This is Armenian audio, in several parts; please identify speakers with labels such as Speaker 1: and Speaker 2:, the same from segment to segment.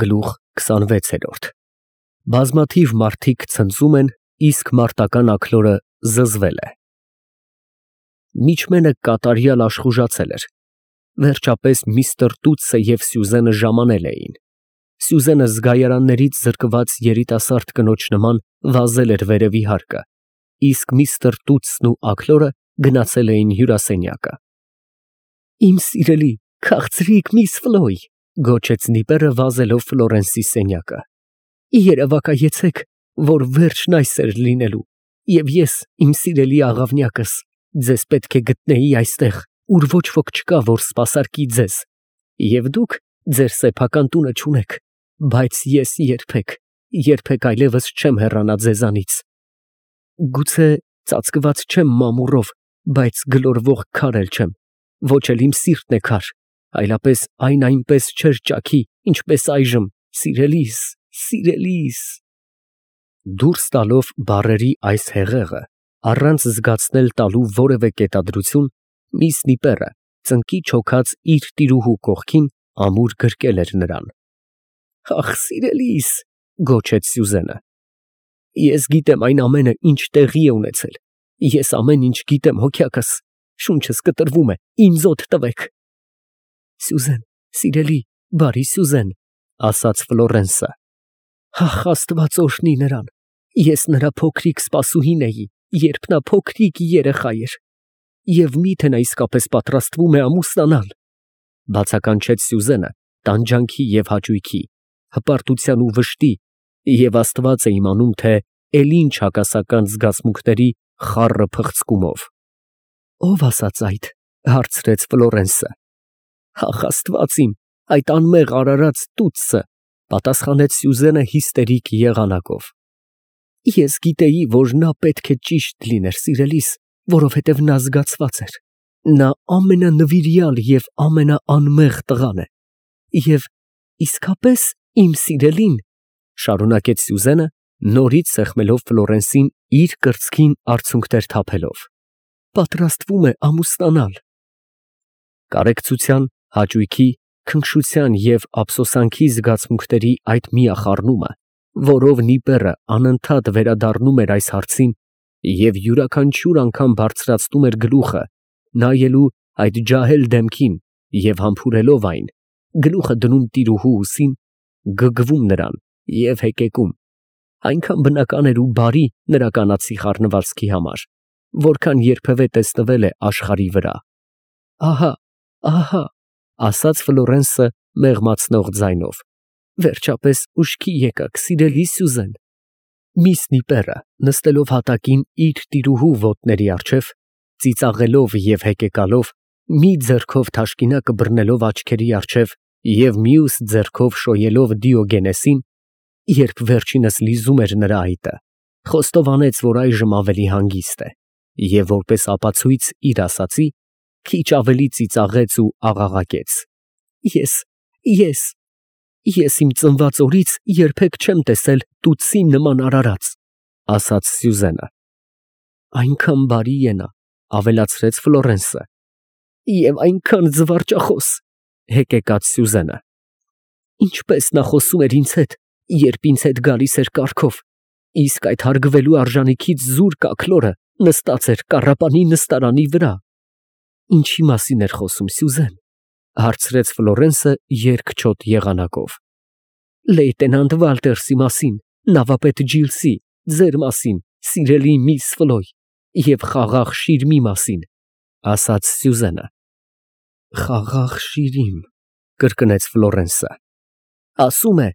Speaker 1: Գլուխ 26 Բազմաթիվ մարդիկ ցնծում են, իսկ մարտական աքլորը զզվել է։ Միջմենը կատարյալ աշխուժացել էր։ Վերջապես միստր Տուտսը և Սյուզենը ժամանել էին։ Սյուզենը զգայարաններից զրկված երիտասարդ կնոջ նման վազել էր վերևի հարկը, իսկ միստր Տուտսն ու աքլորը գնացել էին հյուրասենյակը։ Իմ սիրելի, քաղցրիկ միս Ֆլոյ, գոչեց Նիպերը վազելով Ֆլորենսի սենյակը։ Երևակայեցեք, որ վերջն այս էր լինելու, և ես, իմ սիրելի աղավնյակս, ձեզ պետք է գտնեի այստեղ, ուր ոչ ոք չկա, որ սպասարկի ձեզ, և դուք ձեր սեփական տունը չունեք, բայց ես երբեք այլևս չեմ հեռանա ձեզանից։ Գուցե ծածկված չեմ մամուռով, բայց գլորվող քար էլ չեմ, ոչ էլ իմ սիրտն է քար, այլապես այն այնպես չէր ճաքի, ինչպես այժմ, սիրելիս։ Դուրս տալով բառերի այս հեղեղը, առանց զգացնել տալու որևէ կետադրություն, միս Նիպերը, ծնկի չոքած իր տիրուհու կողքին, ամուր գրկել էր նրան։ Ախ, սիրելիս, գոչեց Սյուզենը, ես գիտեմ այն ամենը, ինչ տեղի է ունեցել, ես ամեն ինչ գիտեմ, հոգյակս, շունչս կտրվում է, ինձ օդ տվեք։ Սյուզեն, սիրելի, բարի Սյուզեն, ասաց Ֆլորենսը, ախ, Աստված օրհնի նրան, ես նրա փոքրիկ սպասուհին էի, երբ նա փոքրիկ երեխա էր, և միթե նա իսկապես պատրաստվում է ամուսնանալ, բացականչեց Սյուզենը տանջանքի և հաճույքի, հպարտության ու վշտի, և Աստված է իմանում, թե էլ ինչ հակասական զգացմունքների խառը փխցկումով։ Ո՞վ ասաց այդ, հարցրեց Ֆլորենսը։ Ախ, Աստված իմ, այդ անմեղ արարած Տուտսը, պատասխանեց Սյուզենը հիստերիկ եղանակով։ Ես գիտեի, որ նա պետք է ճիշտ լիներ, սիրելիս, որովհետև նա զգացված էր։ Նա ամենանվիրյալ և ամենաանմեղ տղան է։ Եվ իսկապես իմ սիրելին, շարունակեց Սյուզենը, նորից սեղմելով Ֆլորենսին իր կրծքին արցունքներ թափելով, պատրաստվում է ամուսնանալ։ Կարեկցության, հաճույքի, քնքշության և ափսոսանքի զգացմունքների այդ միախառնումը, որով Նիպերը անընդհատ վերադառնում էր այս հարցին և յուրաքանչյուր անգամ բարձրացնում էր գլուխը, նայելու այդ ջահել դեմքին և համբուրելով այն, գլուխը դնում տիրուհու ուսին, գգվում նրան և հեկեկում, այնքան բնական էր ու բարի նրա կանացի խառնվածքի համար, որքան երբևէ տեսնվել է աշխարհի վրա։ Ահա, ասաց Ֆլորենսը մեղմացնող ձայնով, վերջապես ուշքի եկաք, սիրելի Սյուզեն։ Միս Նիպերը, նստելով հատակին իր տիրուհու ոտների առջև, ծիծաղելով և հեկեկալով, մի ձեռքով թաշկինակը բռնելով աչքերի առջև և մյուս ձեռքով շոյելով Դիոգենեսին, երբ վերջինս լիզում էր նրա այտը, խոստովանեց, որ այժմ ավելի հանգիստ է, և որպես ապացույց իր ասածի, քիչ ավելի ծիծաղեց ու աղաղակեց. Ես իմ ծնված օրից երբեք չեմ տեսել Տուտսի նման արարած, ասաց Սյուզենը։ Այնքան բարի է նա, ավելացրեց Ֆլորենսը, և այնքան զվարճախոս, հեկեկաց Սյուզենը։ Ինչպես նա խոսում էր ինձ հետ, երբ ինձ հետ գալիս էր կառքով, իսկ այդ հարգվելու արժանիքից զուրկ աքլորը նստած էր կառապանի նստարանի վրա։ Ինչի մասին էր խոսում, Սյուզեն, հարցրեց Ֆլորենսը երկչոտ եղանակով։ Լեյտենանտ Վալտերսի մասին, նավապետ Ջիլսի, ձեր մասին, սիրելի միս Ֆլոյ, և խաղաղ Շիրիմի մասին, ասաց Սյուզենը։ Խաղաղ Շիրիմ, կրկնեց Ֆլորենսը։ Ասում է,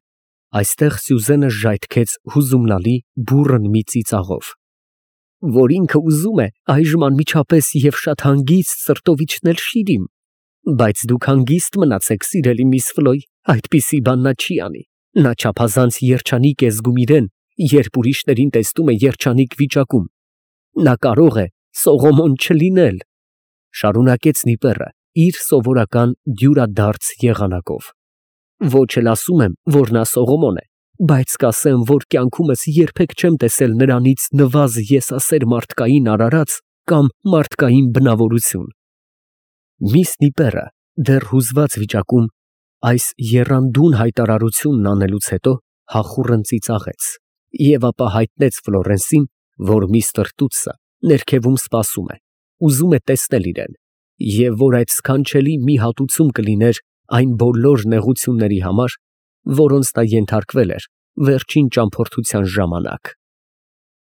Speaker 1: այստեղ Սյուզենը ժայթքեց հուզումնալի բուռն մի ծիծաղով, որ ինքը ուզում է այժմ անմիջապես և շատ հանգիստ սրտով իջնել Շիրիմ, բայց դուք հանգիստ մնացեք, սիրելի միս Ֆլոյ, այդպիսի բան նա չի անի, նա չափազանց երջանիկ է զգում իրեն, երբ ուրիշներին տեսնում է երջանիկ վիճակում, նա կարող է Սողոմոն չլինել, շարունակեց Նիպերը իր սովորական դյուրադարձ եղանակով։ Ոչ էլ ասում եմ, որ նա Սողոմոն է, բայց կասեմ, որ կյանքումս երբեք չեմ տեսել նրանից նվազ եսասեր մարդկային արարած կամ մարդկային բնավորություն։ Միս Նիպերը դեռ հուզված վիճակում Այս եռանդուն հայտարարությունն անելուց հետո Հախուռն ծիծաղեց և ապա հայտնեց Ֆլորենսին, որ միստր Տուտսը ներքևում սպասում է, ուզում է տեսնել իրեն, և որ այդ սքանչելի մի հատուցում կլիներ այն բոլոր նեղությունների համար, որոնց նա ենթարկվել էր վերջին ճամփորդության ժամանակ։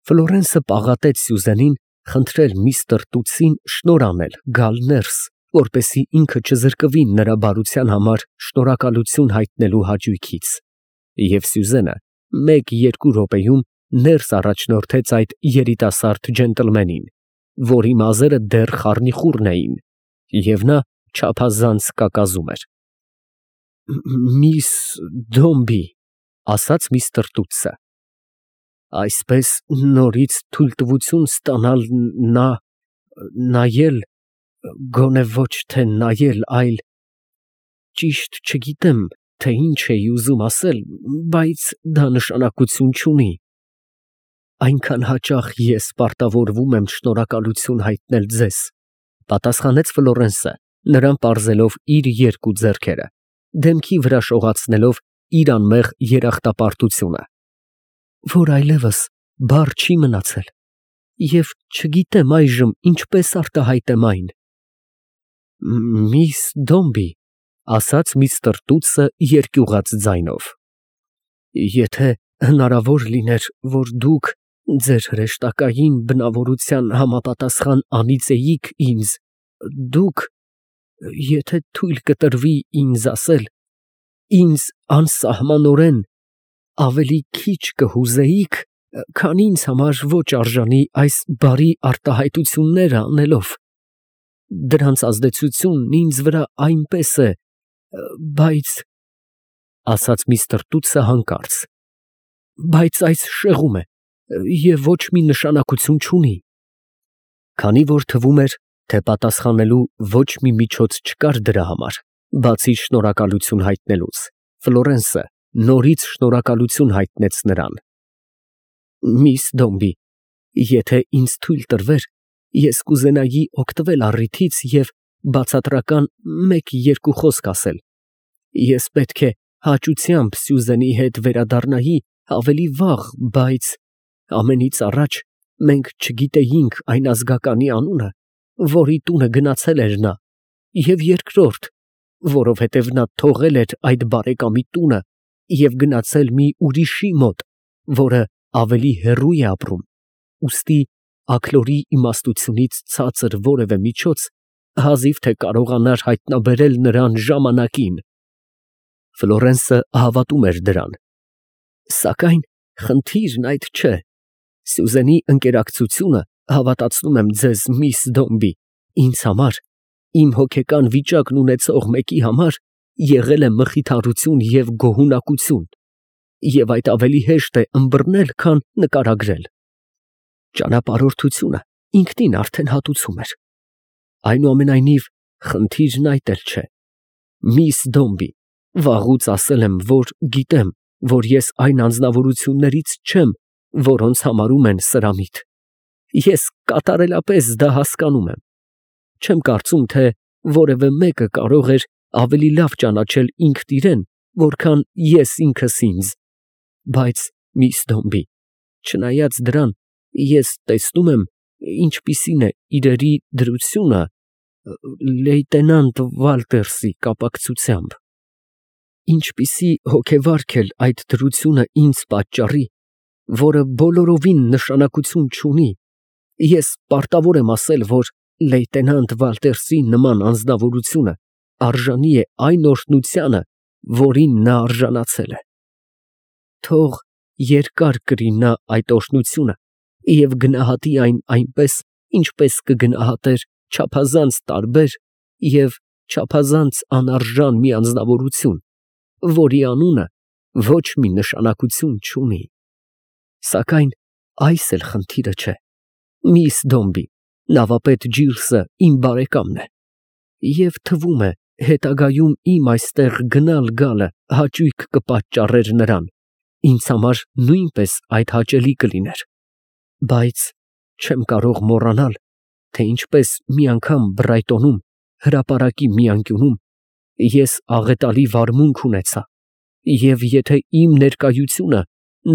Speaker 1: Ֆլորենսը պաղատեց Սյուզենին խնդրել միստր Տուտսին շնորհ անել գալ ներս, որպեսզի ինքը չզրկվի նրա բարության համար շնորհակալություն հայտնելու հաճույքից, և Սյուզենը 1-2 րոպեում ներս առաջնորդեց այդ երիտասարդ ջենտլմենին, որի մազերը դեռ խառնիխուռն էին, և նա չափազանց կակազում էր։ «Միս Դոմբի», ֊ ասաց միստր Տուտսը, ֊ այսպես նորից թույլտվություն ստանալ նայել, գոնե ոչ թե նայել, այլ… ճիշտ չգիտեմ, թե ինչ էի ուզում ասել, բայց դա նշանակություն չունի… այնքան հաճախ ես պարտավորվում եմ շնորհակալություն հայտնել ձեզ, ֊ պատասխանեց Ֆլորենսը, նրան պարզելով իր երկու ձեռքերը, դեմքի վրա շողացնելով իր անմեղ երախտապարտությունը, որ այլևս բառ չի մնացել և չգիտեմ այժմ ինչպես արտահայտեմ այն։ «Միս Դոմբի», ֊ ասաց միստր Տուտսը երկյուղած ձայնով, ֊ եթե հնարավոր լիներ, որ դուք ձեր հրեշտակային բնավորության համապատասխան անիծեիք ինձ, դուք… եթե թույլ կտրվի ինձ ասել, ինձ անսահմանորեն ավելի քիչ կհուզեիք, քան ինձ համար ոչ արժանի այս բարի արտահայտությունները անելով… դրանց ազդեցությունն ինձ վրա այնպես է… բայց… ֊ ասաց միստր Տուտսը հանկարծ, ֊ բայց այս շեղում է և ոչ մի նշանակություն չունի… Քանի որ թվում էր, թե պատասխանելու ոչ մի միջոց չկար դրա համար, բացի շնորհակալություն հայտնելուց, Ֆլորենսը նորից շնորհակալություն հայտնեց նրան։ «Միս Դոմբի, եթե ինձ թույլ տրվեր, ես կուզենայի օգտվել առիթից և բացատրական 1-2 խոսք ասել… Ես պետք է հաճությամբ Սյուզենի հետ վերադառնայի ավելի վաղ, բայց… ամենից առաջ մենք չգիտեինք այն ազգականի անունը, որի տունը գնացել էր նա, և երկրորդ, որովհետև նա թողել էր այդ բարեկամի տունը և գնացել մի ուրիշի մոտ, որը ավելի հեռու է ապրում, ուստի աքլորի իմաստությունից ցածր որևէ միջոց հազիվ թե կարողանար հայտնաբերել նրան ժամանակին։ Ֆլորենսը հավատում էր դրան, սակայն խնդիրն այդ չէ… Սյուզենի ընկերակցությունը, հավատացնում եմ ձեզ, միս Դոմբի, ինձ համար, իմ հոգեկան վիճակն ունեցող մեկի համար եղել է մխիթարություն և գոհունակություն, և այդ ավելի հեշտ է ըմբռնել, քան նկարագրել… Ճանապարհորդությունը ինքնին արդեն հատուցում էր… Այնուամենայնիվ, խնդիրն այդ էլ չէ… Միս Դոմբի, վաղուց ասել եմ, որ գիտեմ, որ ես այն անձնավորություններից չեմ, որոնց համարում են սրամիտ… Ես կատարելապես դա հասկանում եմ… Չեմ կարծում, թե որևէ մեկը կարող էր ավելի լավ ճանաչել ինքն իրեն, որքան ես ինքս ինձ… Բայց, միս Դոմբի, չնայած դրան, ես տեսնում եմ, ինչպիսին է իրերի դրությունը լեյտենանտ Վալտերսի կապակցությամբ… ինչպիսի հոգեվարք էլ այդ դրությունը ինձ պատճառի, որը բոլորովին նշանակություն չունի, ես պարտավոր եմ ասել, որ լեյտենանտ Վալտերսի նման անձնավորությունը արժանի է այն օրհնությանը, որին նա արժանացել է… Թող երկար կրի նա այդ օրհնությունը և գնահատի այն այնպես, ինչպես կգնահատեր չափազանց տարբեր և չափազանց անարժան մի անձնավորություն, որի անունը ոչ մի նշանակություն չունի… Սակայն այս էլ խնդիրը չէ… Միս Դոմբի, նավապետ Ջիրսը իմ բարեկամն է, և թվում է, հետագայում իմ այստեղ գնալ֊գալը հաճույք կպատճառեր նրան, ինձ համար նույնպես այդ հաճելի կլիներ… Բայց չեմ կարող մոռանալ, թե ինչպես մի անգամ Բրայտոնում, հրապարակի մի անկյունում, Ես աղետալի վարմունք ունեցա, և եթե իմ ներկայությունը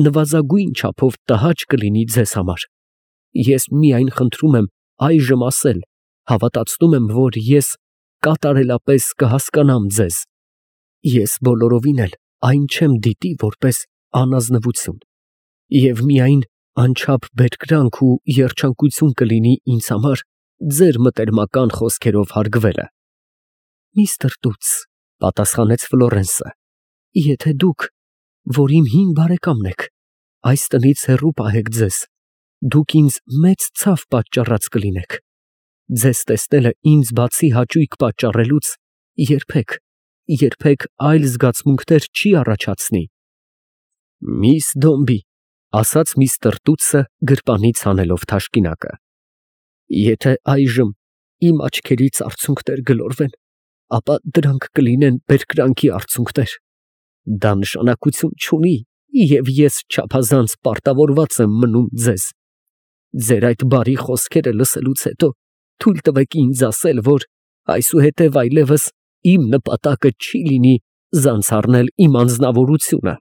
Speaker 1: նվազագույն չափով տհաճ կլինի ձեզ համար, ես միայն խնդրում եմ այժմ ասել, հավատացնում եմ, որ ես կատարելապես կհասկանամ ձեզ. ես բոլորովին էլ այն չեմ դիտի որպես անազնվություն, և միայն անչափ բերկրանք ու երջանկություն կլինի ինձ համար ձեր մտերմական խոսքերով հարգվելը։ Միստր Տուց, պատասխանեց Ֆլորենսը, եթե դուք, որ իմ հին բարեկամն եք, այս տնից հեռու պահեք ձեզ, դուք ինձ մեծ ցավ պատճառած կլինեք։ Ձեզ տեսնելը ինձ բացի հաճույք պատճառելուց երբեք այլ զգացմունքներ չի առաջացնի։ Միս Դոմբի, ասաց միստր Տուտսը գրպանից հանելով թաշկինակը, եթե այժմ իմ աչքերից արցունքներ գլորվեն, ապա դրանք կլինեն բերկրանքի արցունքներ։ Դա նշանակություն չունի, և ես չափազանց պարտավորված եմ մնում ձեզ։ Ձեր այդ բարի խոսքերը լսելուց հետո թույլ տվեք ինձ ասել, որ այսուհետև այլևս իմ նպատակը չի լինի զանցառնել իմ անձնավորությունը։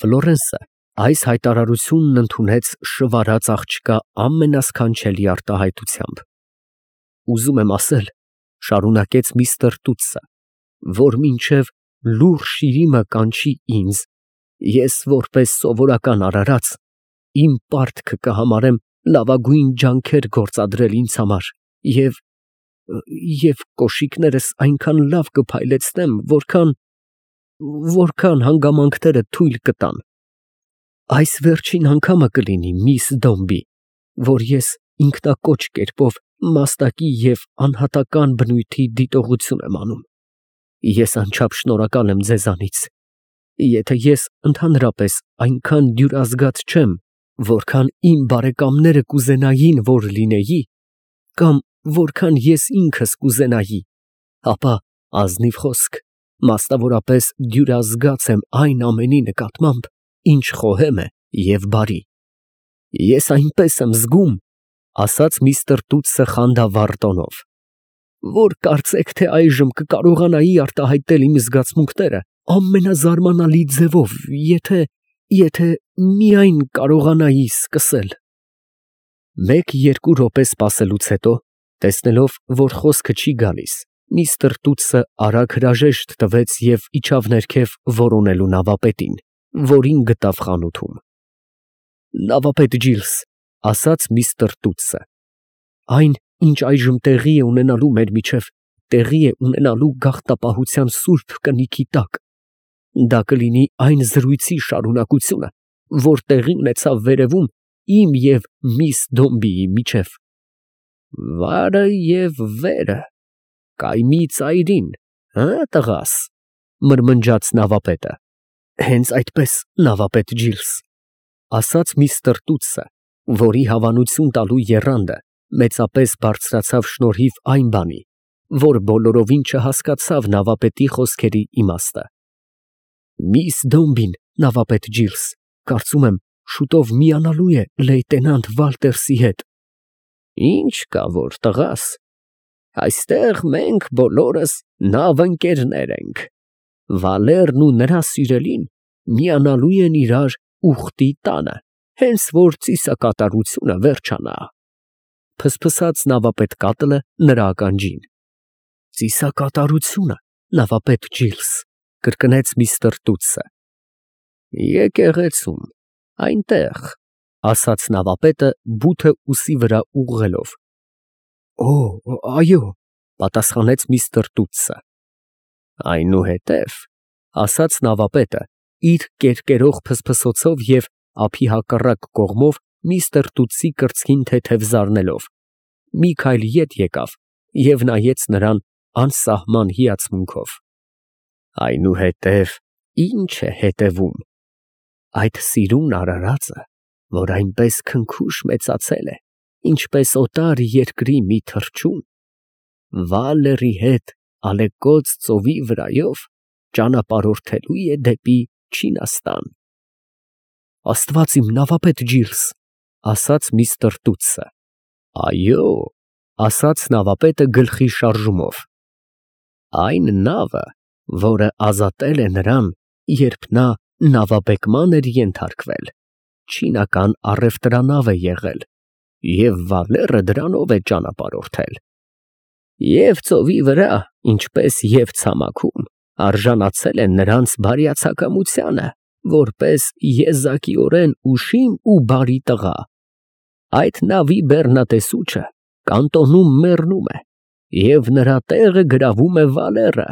Speaker 1: Ֆլորենսը այս հայտարարությունն ընդունեց շվարած աղջկա ամենասքանչելի արտահայտությամբ։ Ուզում եմ ասել, շարունակեց միստր Տուտսը, որ մինչև լուռ շիրիմը կանչի ինձ, ես որպես սովորական արարած իմ պարտքը կհամարեմ լավագույն ջանքեր գործադրել ինձ համար և կոշիկներս այնքան լավ կփայլեցնեմ, որքան հանգամանքները թույլ կտան։ Այս վերջին անգամը կլինի, միս Դոմբի, որ ես ինքնակոչ կերպով մաստակի և անհատական բնույթի դիտողություն եմ անում։ Ես անչափ շնորհակալ եմ ձեզանից։ Եթե ես ընդհանրապես այնքան դյուրազգաց չեմ, որքան իմ բարեկամները կուզենային, որ լինեի, կամ որքան ես ինքս կուզենայի, ապա ազնիվ խոսք, մասնավորապես դյուրազգաց եմ այն ամենի նկատմամբ, ինչ խոհեմ է և բարի։ Ես այնպես եմ զգում, ասաց միստր Տուտսը խանդավառ տոնով, որ կարծեք թե այժմ կկարողանայի արտահայտել իմ զգացմունքները ամենազարմանալի ձևով, եթե միայն կարողանայի սկսել։ Մեկ-երկու րոպե սպասելուց հետո, տեսնելով, որ խոսքը չի գալիս, միստր Տուտսը արագ հրաժեշտ տվեց և իջավ ներքև որոնելու նավապետին, որին գտավ խանութում։ Նավապետ Ջիլս, ասաց միստր Տուտսը, այն, ինչ այժմ տեղի է ունենալու մեր միջև, տեղի է ունենալու գաղթապահության սուրբ կնիքի տակ։ Դա կլինի այն զրույցի շարունակությունը, որ տեղի ունեցավ վերևում իմ և միս Դոմբիի միջև։ Վարը և վերը, կայմի ծայրին, տղաս, մրմնջաց նավապետը։ Հենց այդպես, նավապետ Ջիլս, ասաց միստր Տուտսը, որի հավանություն տալու եռանդը մեծապես բարձրացավ շնորհիվ այն բանի, որ բոլորովին չհասկացավ նավապետի խոսքերի իմաստը։ Միս Դոմբին, նավապետ Ջիլս, կարծում եմ, շուտով միանալու է լեյտենանտ Վալտերսի հետ։ Ինչ կա որ, տղաս, այստեղ մենք բոլորս նավընկերներ ենք։ Վալերն ու նրա սիրելին միանալու են իրար ուխտի տանը, հենց որ ծիսակատարությունը վերջանա։ Փսփսաց նավապետ Կատլը նրա ականջին։ Ծիսակատարությունը, նավապետ Ջիլս, կրկնեց միստր Տուտսը։ Եկեղեցում, այնտեղ, ասաց նավապետը բութը ուսի վրա ուղղելով։ Այո, պատասխանեց միստր Տուտսը։ Այնուհետև, ասաց նավապետը, իր կերկերող փսփսոցով և ափի հակառակ կողմով միստր Տուտսի կրծքին թեթև զարնելով, մի քայլ ետ եկավ և նայեց նրան անսահման հիացմունքով։ Այնուհետև ի՞նչ է հետևում։ Այդ սիրուն արարածը, որ այնպես քնքուշ մեծացել է, ինչպես օտար երկրի մի թռչուն, Վալերի հետ ալեկոծ ծովի վրայով ճանապարհորդելու է դեպի Չինաստան։ Աստված իմ, նավապետ Ջիլս, ասաց միստր Տուտսը։ Այո, ասաց նավապետը գլխի շարժումով։ Այն նավը, որը ազատել է նրան, երբ նա նավաբեկման էր ենթարկվել, չինական առևտրանավ է եղել, և Վալերը դրանով է ճանապարհորդել։ Եվ ծովի վրա, ինչպես և ցամաքում, արժանացել են նրանց բարյացակամությանը, որպես եզակիորեն ուշիմ ու բարի տղա։ Այդ նավի բեռնատեսուչը կանտոնում մեռնում է, և նրա տեղը գրավում է Վալերը,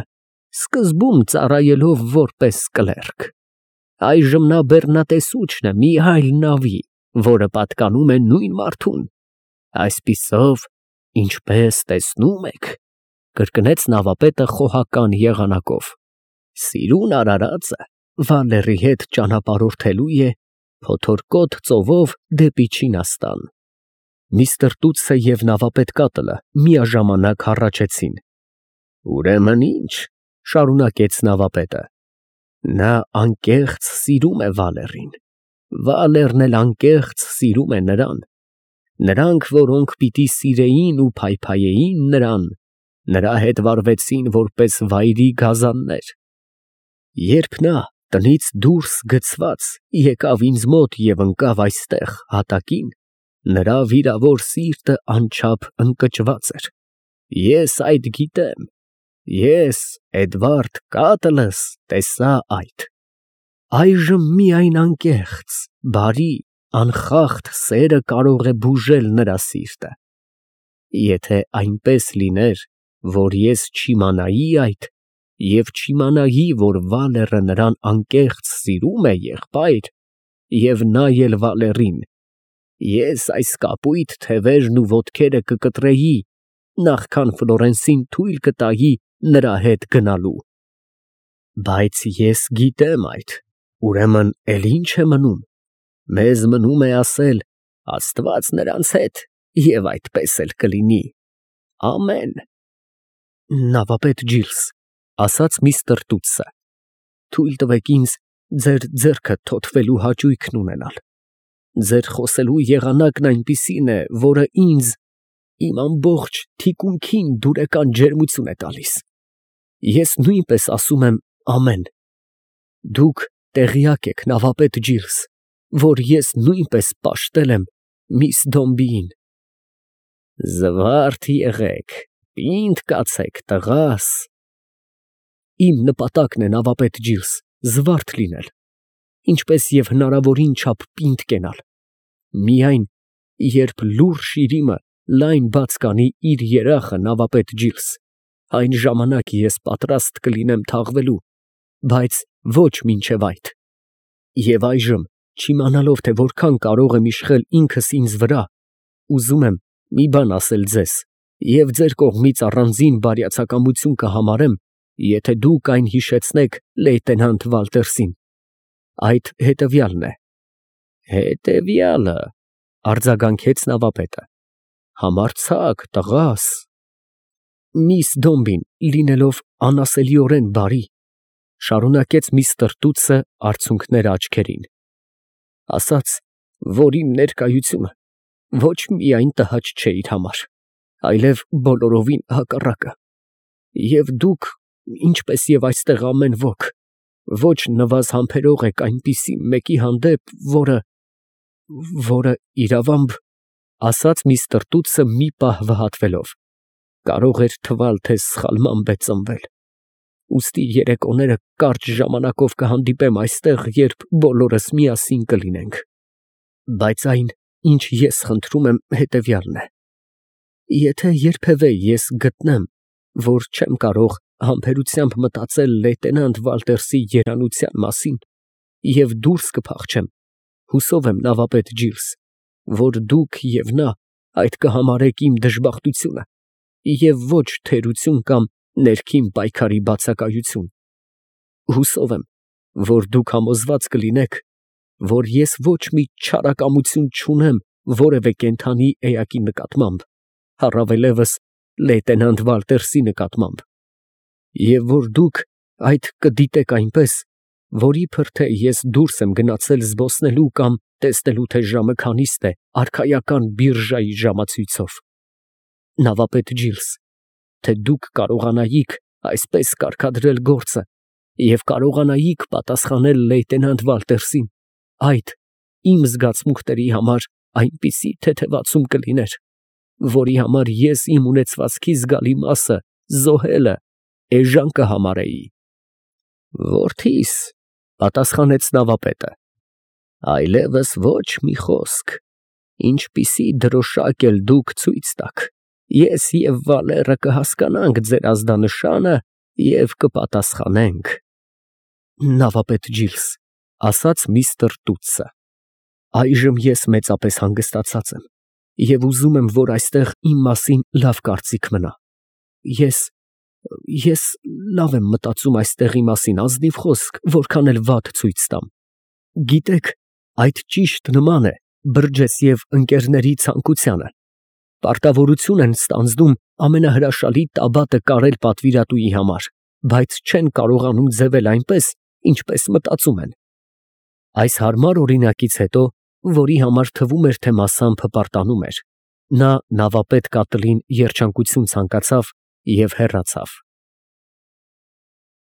Speaker 1: սկզբում ծառայելով որպես կլերկ։ Այժմ նա բեռնատեսուչն է մի այլ նավի, որը պատկանում է նույն մարդուն։ Այսպիսով, ինչպես տեսնում եք, կրկնեց նավապետը խոհական եղանակով, սիրուն արարածը Վալերի հետ ճանապարհորդելու է փոթորկոտ ծովով դեպի Չինաստան։ Միստր Տուտսը և նավապետ Կատլը միաժամանակ հառաչեցին։ Ուրեմն ինչ, շարունակեց նավապետը, նա անկեղծ սիրում է Վալերին, Վալերն էլ անկեղծ սիրում է նրան։ Նրանք, որոնք պիտի սիրեին ու փայփայեին նրան, նրա հետ վարվեցին որպես վայրի գազաններ։ Երբ նա տնից դուրս գցված եկավ ինձ մոտ և ընկավ այստեղ հատակին, նրա վիրավոր սիրտը անչափ ընկճված էր։ Ես այդ գիտեմ, ես, Էդվարդ Կատլս, տեսա այդ։ Այժմ միայն անկեղծ, բարի, անխախտ սերը կարող է բուժել նրա սիրտը։ Եթե այնպես լիներ, որ ես չիմանայի այդ, և չիմանայի, որ Վալերը նրան անկեղծ սիրում է, եղբայր, և նա էլ Վալերին, ես այս կապույտ թևերն ու ոտքերը կկտրեի, նախքան Ֆլորենսին թույլ կտայի նրա հետ գնալու։ Բայց ես գիտեմ այդ, ուրեմն էլ ի՞նչ է մնում։ Մեզ մնում է ասել. Աստված նրանց հետ, և այդպես էլ կլինի։ Ամեն։ Նավապետ Ջիլս, ասաց միստր Տուտսը, թույլ տվեք ինձ ձեր ձեռքը թոթվելու հաճույքն ունենալ։ Ձեր խոսելու եղանակն այնպիսին է, որը ինձ իմ ամբողջ թիկունքին դուրեկան ջերմություն է տալիս։ Ես նույնպես ասում եմ ամեն։ Դուք տեղյակ եք, նավապետ Ջիլս, որ ես նույնպես պաշտել եմ միս Դոմբիին։ Զվարթ եղեք, պինդ կացեք, տղաս։ Իմ նպատակն է, նավապետ Ջիլս, զվարթ լինել, ինչպես և հնարավորին չափ պինդ կենալ։ Միայն, երբ լուռ շիրիմը լայն բաց կանի իր երախը, նավապետ Ջիլս, այն ժամանակ ես պատրաստ կլինեմ թաղվելու, բայց ոչ մինչև այդ։ Եվ այժմ, չիմանալով, թե որքան կարող եմ իշխել ինքս ինձ վրա, ուզում եմ մի բան ասել ձեզ և ձեր կողմից առանձին բարյացակամություն կհամարեմ, եթե դուք այն հիշեցնեք լեյտենանտ Վալտերսին։ Այդ հետևյալն է։ Հետևյալը, արձագանքեց նավապետը, համարձակ, տղաս։ Միս Դոմբին, լինելով անասելիորեն բարի, շարունակեց միստր Տուտսը արցունքները աչքերին, ասաց, որ իմ ներկայությունը ոչ միայն տհաճ չէ իր համար, այլև բոլորովին հակառակը, և դուք, ինչպես և այստեղ ամեն ոք, ոչ նվազ համբերող եք այնպիսի մեկի հանդեպ, որը իրավամբ, ասաց միստր Տուտսը մի պահ վհատվելով, կարող էր թվալ, թե սխալմամբ է ծնվել։ Ուստի երեկոները կարճ ժամանակով կհանդիպեմ այստեղ, երբ բոլորս միասին կլինենք։ Բայց այն, ինչ ես խնդրում եմ, հետևյալն է. եթե երբևէ ես գտնեմ, որ չեմ կարող համբերությամբ մտածել լեյտենանտ Վալտերսի երանության մասին և դուրս կփախչեմ, հուսով եմ, նավապետ Ջիլս, որ դուք և նա այդ կհամարեք իմ դժբախտությունը և ոչ թերություն կամ ներքին պայքարի բացակայություն։ Հուսով եմ, որ դուք համոզված կլինեք, որ ես ոչ մի չարակամություն չունեմ որևէ կենդանի էակի նկատմամբ, առավելևս լեյտենանտ Վալտերսի նկատմամբ, և որ դուք այդ կդիտեք այնպես, որ իբր թե ես դուրս եմ գնացել զբոսնելու կամ տեսնելու, թե ժամը քանիստ է արքայական բիրժայի ժամացույցով։ Նավապետ Ջիլս, թե դուք կարողանայիք այսպես կարգադրել գործը և կարողանայիք պատասխանել լեյտենանտ Վալտերսին, այդ իմ զգացմունքների համար այնպիսի թեթևացում կլիներ, որի համար ես իմ ունեցվածքի զգալի մասը զոհելը էժան կհամարեի։ Որդիս, պատասխանեց նավապետը, այլևս ոչ մի խոսք, ինչպիսի դրոշակ էլ դուք ցույց տաք, ես և Վալերը կհասկանանք ձեր ազդանշանը և կպատասխանենք։ Նավապետ Ջիլս, ասաց միստր Տուտսը, այժմ ես մեծապես հանգստացած եմ և ուզում եմ, որ այստեղ իմ մասին լավ կարծիք մնա։ Ես լավ եմ մտածում այստեղի մասին, ազնիվ խոսք, որքան էլ վատ ցույց տամ։ Գիտեք, այդ ճիշտ նման է Բրջեսիև ընկերների ցանկությանը։ Պարտավորություն են ստանձնում ամենահրաշալի տաբատը կարել պատվիրատուի համար, բայց չեն կարողանում ձևել այնպես, ինչպես մտածում են։ Այս հարմար օրինակից հետո, որի համար թվում էր, թե մասամբ հպարտանում էր, նա նավապետ կատլին երջանկություն ցանկացավ և հեռացավ։